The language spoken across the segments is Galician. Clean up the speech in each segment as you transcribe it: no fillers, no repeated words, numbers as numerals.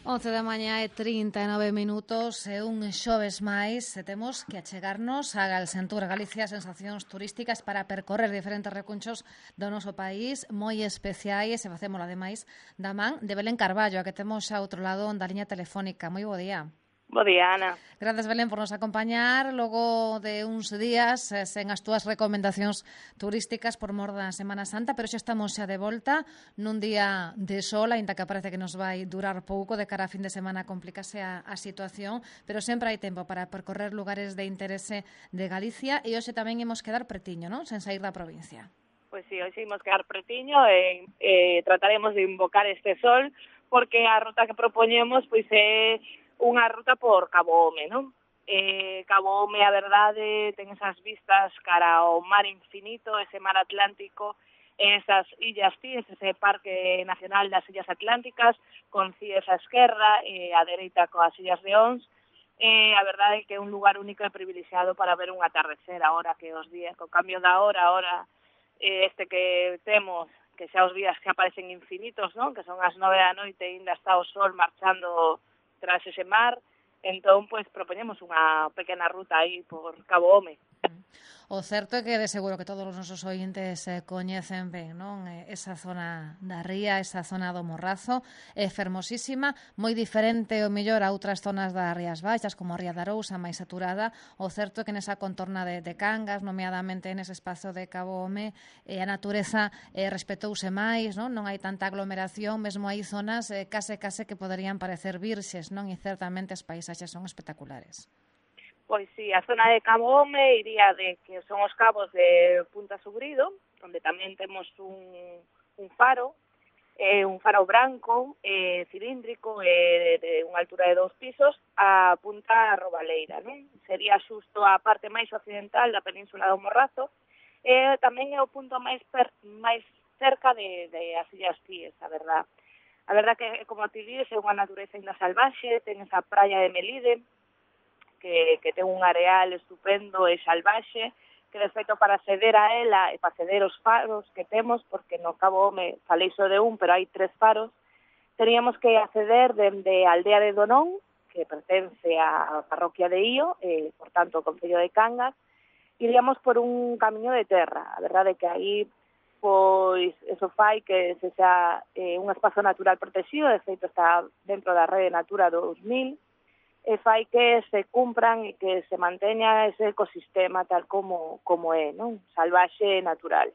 11 da mañá e 39 minutos e un xoves máis e temos que achegarnos a Galsentur, Galicia, sensacións turísticas para percorrer diferentes recunchos do noso país moi especiais e facémolo ademais da man de Belén Carballo, a que temos xa outro lado da liña telefónica. Moi bo día. Bo día, Ana. Grazas, Belén, por nos acompañar logo de uns días sen as túas recomendacións turísticas por mor da Semana Santa, pero xa estamos xa de volta nun día de sol, aínda que parece que nos vai durar pouco, de cara a fin de semana complicase a situación, pero sempre hai tempo para percorrer lugares de interese de Galicia e hoxe tamén imos quedar pretiño, non? Sen sair da provincia. Pois sí, hoxe imos quedar pretiño e trataremos de invocar este sol, porque a ruta que propoñemos pois é unha ruta por Cabo Home, non? Cabo Home, a verdade, ten esas vistas cara ao mar infinito, ese mar Atlántico, esas illas Cíes, ese Parque Nacional das Illas Atlánticas, con Cíes a esquerda e a dereita coas Illas de Ons. A verdade é que é un lugar único e privilexiado para ver un atardecer, ahora que os días, co cambio da hora, ahora este que temos, que xa os días que aparecen infinitos, non? Que son as 9 da noite e ainda está o sol marchando tras ese mar, entón, pois, propoñemos unha pequena ruta aí por Cabo Home. O certo é que de seguro que todos os nosos ointes coñecen ben, non? Esa zona da ría, esa zona do Morrazo, é fermosísima, moi diferente o mellor a outras zonas das Rías Baixas, como a Ría de Arousa, máis saturada. O certo é que nesa contorna de Cangas, nomeadamente nese espazo de Cabo Home, a natureza respetouse máis, non? Non hai tanta aglomeración, mesmo hai zonas case que poderían parecer virxes, non? E certamente as paisaxes son espectaculares. Pois sí, a zona de Cabo Home iría de que son os cabos de Punta Sugrido, onde tamén temos un faro branco, cilíndrico, de unha altura de 2 pisos, a Punta Robaleira, non? Sería xusto a parte máis occidental da península do Morrazo, e tamén é o punto máis cerca de as Illas Cíes, a verdad. A verdad que, como ti dices, é unha natureza ainda salvaxe, ten esa praia de Melide, que ten un areal estupendo e salvaxe, que de feito para acceder a ela e para acceder aos faros que temos, porque no Cabo Home falei só de un, pero hai 3 faros, teríamos que acceder dende a aldea de Donón, que pertence á parroquia de Ío, por tanto, o concello de Cangas, iríamos por un camiño de terra. A verdade é que aí, pois, eso fai que se xa un espazo natural protegido, de feito está dentro da rede Natura 2000, e fai que se cumpran e que se manteña ese ecosistema tal como é, non? Salvaxe e natural.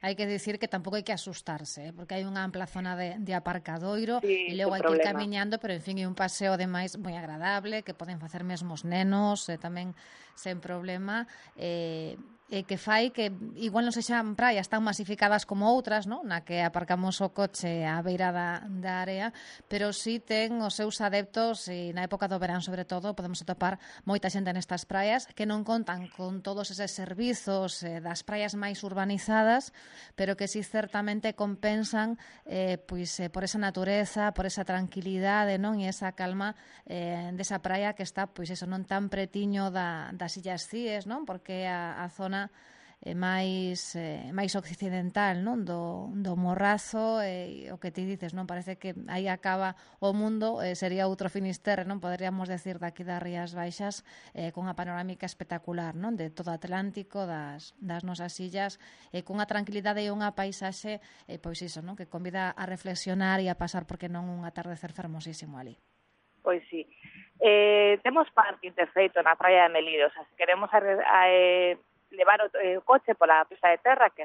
Hai que dicir que tampouco hai que asustarse, porque hai unha ampla zona de aparcadoiro, sí, e logo hai que ir camiñando, pero en fin, é un paseo ademais moi agradable, que poden facer mesmo os nenos, tamén sen problema, que fai que igual non sexan praias tan masificadas como outras, non? Na que aparcamos o coche á beira da área, pero sí ten os seus adeptos, e na época do verán sobre todo podemos atopar moita xente nestas praias que non contan con todos eses servizos das praias máis urbanizadas, pero que sí certamente compensan por esa natureza, por esa tranquilidade, non? E esa calma desa praia que está, pois eso, non tan pretiño das Illas Cíes, non? Porque a zona máis occidental, non? Do Morrazo, o que ti dices, non? Parece que aí acaba o mundo, sería outro Finisterre, non? Poderíamos decir daqui das Rías Baixas, con unha panorámica espectacular, non? De todo o Atlántico, das nosas illas, cunha tranquilidade e unha paisaxe, pois iso, non? Que convida a reflexionar e a pasar, porque non, un atardecer fermosísimo ali. Pois sí. Temos parking, de feito, na praia de Melide, o sea, se queremos levar o coche pola pista de terra, que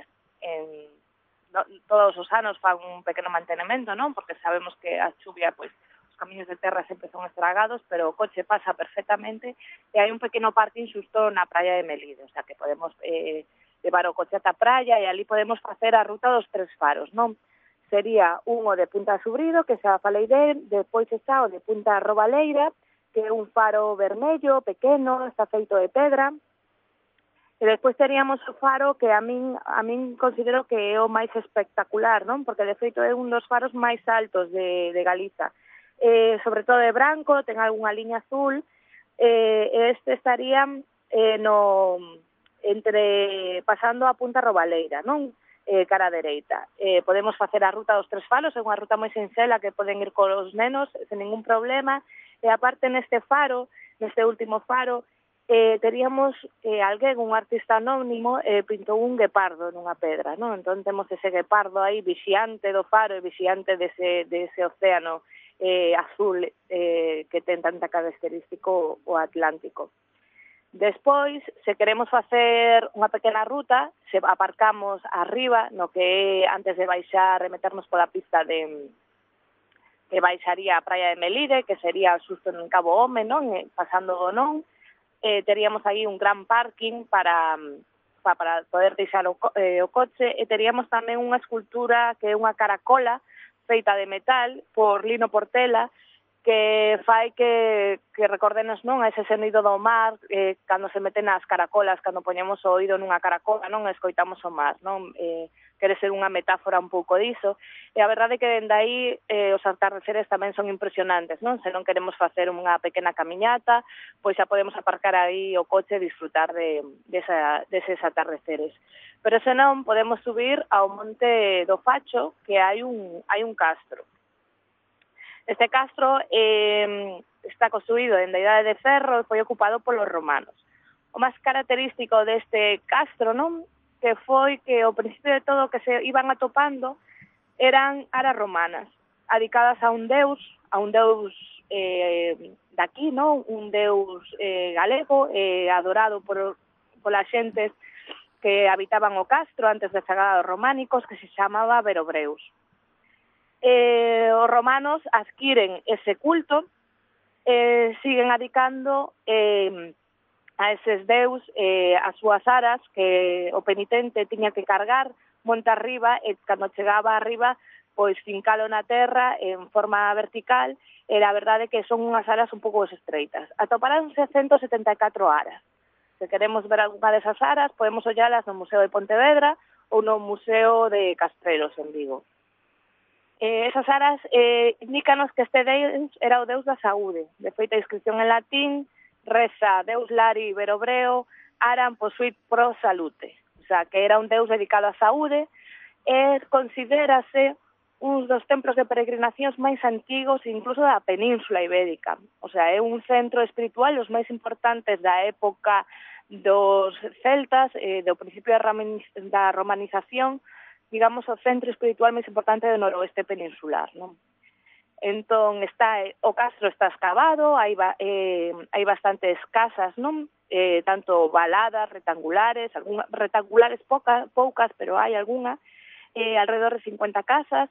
todos os anos fan un pequeno mantenemento, non? Porque sabemos que a chuvia, pois, os camiños de terra sempre son estragados, pero o coche pasa perfectamente, e hai un pequeno parking xusto na praia de Melide, o sea, que podemos levar o coche ata a praia, e ali podemos facer a ruta dos 3 faros, non? Sería un o de Punta Subrido, que xa falei depois está o de Punta Robaleira, que é un faro vermello, pequeno, está feito de pedra. E despois teríamos o faro que a min considero que é o máis espectacular, non? Porque de feito é un dos faros máis altos de Galiza. Sobre todo de branco, ten algunha liña azul, este estaría pasando a Punta Robaleira, non? cara dereita. Podemos facer a ruta dos 3 faros, é unha ruta moi sinxela que poden ir cos nenos sen ningún problema, e aparte neste faro, neste último faro, teríamos alguén, un artista anónimo, pintou un guepardo nunha pedra, non? Entón temos ese guepardo aí vixiante do faro e vixiante dese océano azul que ten tanta característico o Atlántico. Despois, se queremos facer unha pequena ruta, se aparcamos arriba, no que antes de baixar e meternos pola pista que baixaría a praia de Melide, que sería xusto en Cabo Home, non? Pasando do non, teríamos aí un gran parking para poder deixar o coche, e teríamos tamén unha escultura que é unha caracola feita de metal por Lino Portela, que fai que recordenos, non, a ese sonido do mar, cando se meten as caracolas, cando poñemos o oído nunha caracola, non, escoitamos o mar, non? Quere ser unha metáfora un pouco diso, e a verdade é que dende aí os atardeceres tamén son impresionantes, non? Se non queremos facer unha pequena camiñata, pois xa podemos aparcar aí o coche e disfrutar deses atardeceres. Pero se non, podemos subir ao Monte do Facho, que hai un castro. Este castro está construído en da Idade de Ferro e foi ocupado polos romanos. O máis característico deste castro, non, que foi que ao principio de todo que se iban atopando eran aras romanas, dedicadas a un deus daqui, non, un deus galego, adorado pola xente que habitaban o castro antes da chegada dos románicos, que se chamaba Verobreus. Os romanos adquiren ese culto, siguen adicando a eses deus as súas aras que o penitente tiña que cargar monte arriba, e cando chegaba arriba pois fincalo na terra en forma vertical, e a verdade que son unhas aras un pouco estreitas. Atoparanse 174 aras. Se queremos ver algunha desas aras, podemos ollalas no Museo de Pontevedra ou no Museo de Castrelos en Vigo. Esas aras indícanos que este deus era o deus da saúde. De feita, a inscripción en latín reza Deus Lari Verobreo aram posuit pro salute. O sea, que era un deus dedicado á saúde, e considérase un dos templos de peregrinacións máis antigos incluso da Península Ibérica. O sea, é un centro espiritual os máis importantes da época dos celtas, do principio da romanización, digamos, o centro espiritual máis importante do noroeste peninsular, non? Entón, o castro está escavado, hai bastantes casas, non? Tanto valadas, rectangulares, poucas, pero hai algunha, alrededor de 50 casas.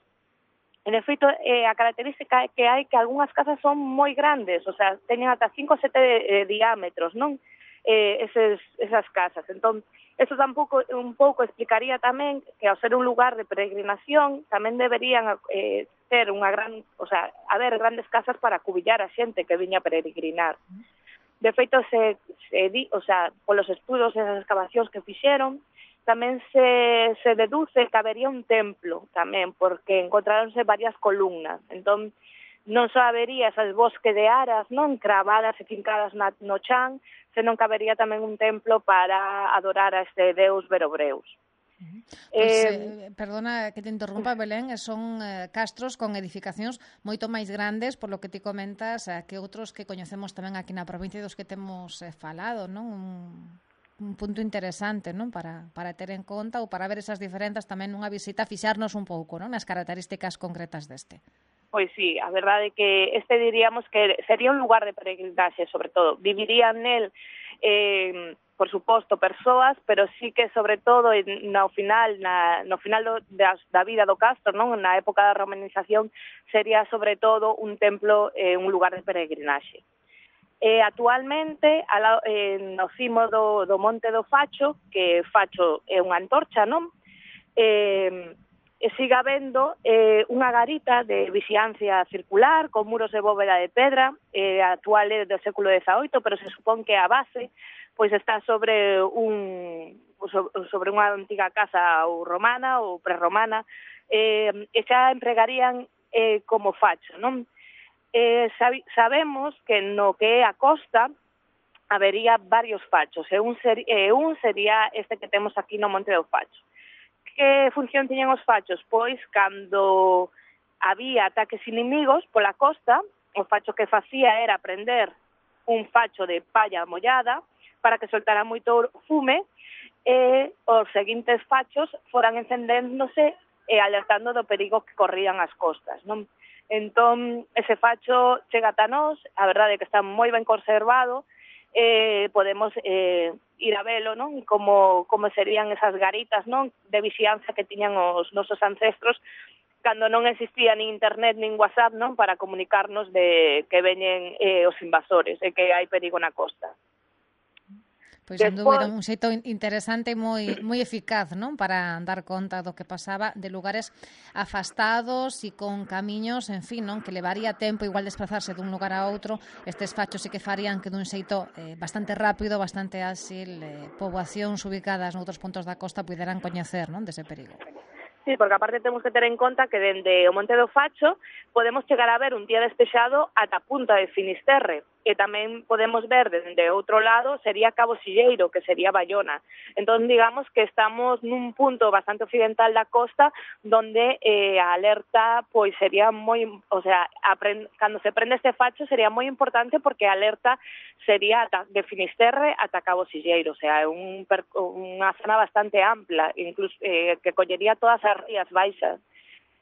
En efeito, a característica é que hai que algunhas casas son moi grandes, o sea, teñen ata 5 ou 7 diámetros, non? Esas casas. Entón, eso tampouco un pouco explicaría tamén que ao ser un lugar de peregrinación tamén deberían ter unha gran, o sea, haber grandes casas para acubillar a xente que viña a peregrinar. De feito, o sea, polos estudos e as excavacións que fixeron, tamén se deduce que habería un templo tamén, porque encontráronse varias columnas. Entón, non só habería esas bosque de aras, non, cravadas e fincadas no chan, senón que habería tamén un templo para adorar a este deus Verobreus. Perdona que te interrumpa, Belén, son castros con edificacións moito máis grandes, por lo que ti comentas, que outros que coñecemos tamén aquí na provincia dos que temos falado, non? Un punto interesante, non, para ter en conta ou para ver esas diferenzas tamén nunha visita, fixarnos un pouco, non, nas características concretas deste. Pois sí, a verdade é que diríamos que sería un lugar de peregrinaxe, sobre todo. Vivirían nel, por suposto, persoas, pero sí que, sobre todo, no final da vida do castro, non? Na época da romanización, sería, sobre todo, un templo, un lugar de peregrinaxe. Actualmente, no cimo do Monte do Facho, que Facho é unha antorcha, non? Siga habendo unha garita de vixiancia circular con muros de bóveda de pedra, actual é do século XVIII, pero se supón que a base pois está sobre unha antiga casa ou romana ou prerromana, e xa empregarían como facho, non? Sabemos que no que é a costa habería varios fachos, e un sería este que temos aquí no Monte do Facho, que función tiñan os fachos? Pois, cando había ataques inimigos pola costa, o facho que facía era prender un facho de palla mollada para que soltara moito fume e os seguintes fachos foran encendéndose e alertando do perigo que corrían as costas, non? Entón, ese facho chega ata nós, a verdade é que está moi ben conservado, podemos ir a velo, non? Como serían esas garitas, non? De vixianza que tiñan os nosos ancestros cando non existía nin internet nin WhatsApp, non? Para comunicarnos de que veñen os invasores e que hai perigo na costa. Pois, sen dúbida, un xeito interesante e moi eficaz, non? Para dar conta do que pasaba de lugares afastados e con camiños, en fin, non? Que levaría tempo igual desplazarse dun lugar a outro. Estes fachos sí que farían que dun xeito bastante rápido, bastante áxil, poboacións ubicadas noutros puntos da costa puderan coñecer, non? Dese perigo. Sí, porque aparte temos que ter en conta que dende o Monte do Facho podemos chegar a ver un día despexado ata a punta de Finisterre, e tamén podemos ver dende outro lado sería Cabo Silleiro, que sería Bayona. Entón, digamos que estamos nun punto bastante occidental da costa donde a alerta pois sería moi, o sea, cando se prende este facho sería moi importante porque a alerta sería de Finisterre ata Cabo Silleiro, o sea, unha zona bastante ampla, incluso que collería todas as rías baixas.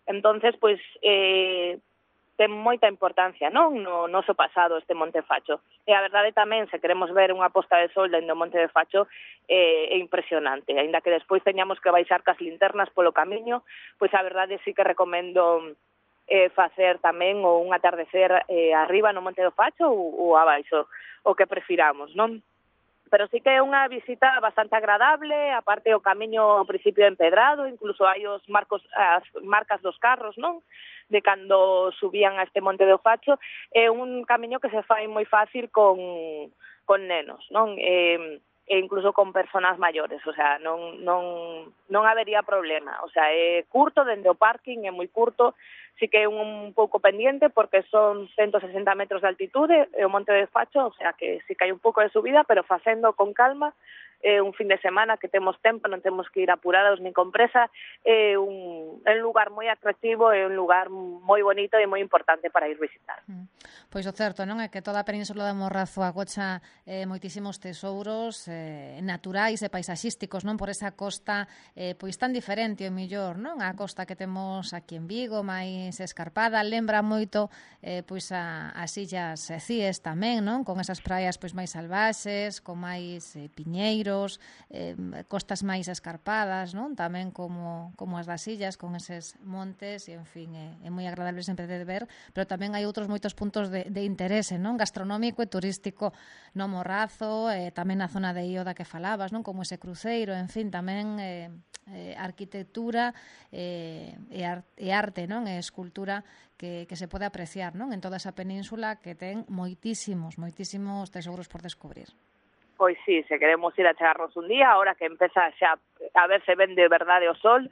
Entonces, pois ten moita importancia, non? No noso pasado este Monte Facho. E a verdade tamén, se queremos ver unha posta de sol dentro do Monte de Facho, é impresionante. Aínda que despois teñamos que baixar cas linternas polo camiño, pois a verdade sí que recomendo facer tamén un atardecer arriba no Monte do Facho ou abaixo, o que prefiramos, non? Pero sí que é unha visita bastante agradable, aparte o camiño ao principio empedrado, incluso hai as marcas dos carros, non? De cando subían a este Monte do Facho, é un camiño que se fai moi fácil con nenos, non? E incluso con personas maiores, o sea, non habería problema, o sea, é curto dende o parking, é moi curto, sí que é un pouco pendiente porque son 160 metros de altitude e o Monte de Facho, o sea que sí que hai un pouco de subida, pero facendo con calma, un fin de semana que temos tempo, non temos que ir apurados nin con presa, é un lugar moi atractivo, é un lugar moi bonito e moi importante para ir visitar. Pois o certo, non? É que toda a península de Morrazo agocha moitísimos tesouros naturais e paisaxísticos, non? Por esa costa pois tan diferente o millor, non? A costa que temos aquí en Vigo, máis escarpada, lembra moito pois as illas Cíes tamén, non? Con esas praias pois máis salvaxes, con máis piñeiros, costas máis escarpadas, non? Tamén como as das illas, con eses montes, e en fin, é moi agradable sempre de ver, pero tamén hai outros moitos puntos de interese, non? Gastronómico e turístico no Morrazo, tamén na zona de Io da que falabas, non? Como ese cruceiro, en fin, tamén arquitectura e arte, non? E escultura que se pode apreciar, non? En toda esa península que ten moitísimos tesouros por descubrir. Pois sí, se queremos ir a chegarnos un día, ahora que empeza xa a ver se ven de verdade o sol,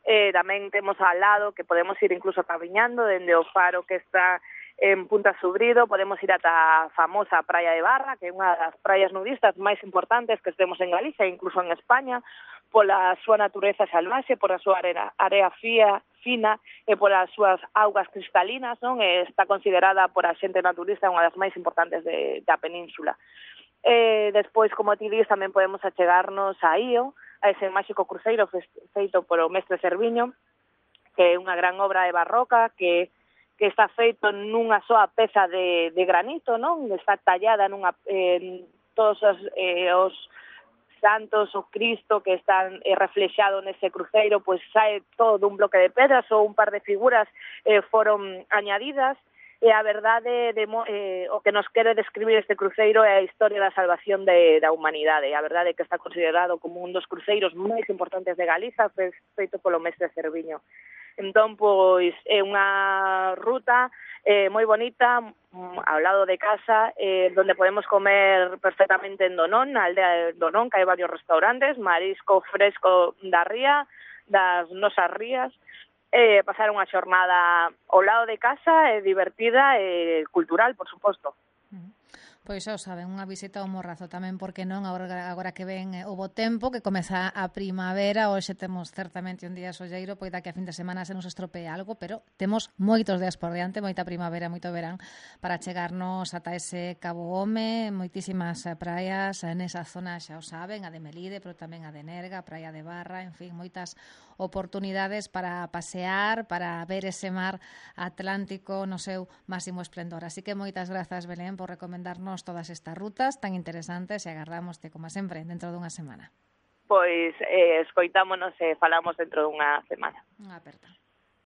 tamén temos ao lado que podemos ir incluso camiñando dende o faro que está en Punta Subrido, podemos ir ata a famosa Praia de Barra, que é unha das praias nudistas máis importantes que temos en Galicia, incluso en España, pola súa natureza salvaxe, por a súa area fina e polas súas augas cristalinas, non? Está considerada por a xente naturista unha das máis importantes da península. Despois, como ti dis, tamén podemos achegarnos a Io, a ese máxico cruceiro feito polo mestre Cerviño, que é unha gran obra de barroca que está feito nunha soa peza de granito, non? Está tallada todos os santos, o Cristo que están reflexado nese cruceiro, pois sae todo dun bloque de pedras ou un par de figuras foron añadidas. E a verdade, o que nos quere describir este cruceiro é a historia da salvación da humanidade. A verdade é que está considerado como un dos cruceiros máis importantes de Galiza, feito polo mestre Cerviño. Entón, pois, é unha ruta moi bonita, ao lado de casa, donde podemos comer perfectamente en Donón, na aldea de Donón, que hai varios restaurantes, marisco fresco da ría, das nosas rías, pasar unha xornada ao lado de casa, divertida e cultural, por suposto. Pois xa o saben, unha visita ao Morrazo tamén, porque non, agora que ven o bo tempo, que comeza a primavera, hoxe temos certamente un día solleiro, poida que a fin de semana se nos estropee algo, pero temos moitos días por diante, moita primavera, moito verán, para chegarnos ata ese Cabo Home, moitísimas praias nesa zona, xa o saben, a de Melide, pero tamén a de Nerga, a praia de Barra, en fin, moitas oportunidades para pasear, para ver ese mar Atlántico no seu máximo esplendor. Así que moitas grazas, Belén, por recomendarnos todas estas rutas tan interesantes e agardámoste, como sempre, dentro dunha semana. Pois escoitámonos e falamos dentro dunha semana. Unha aperta.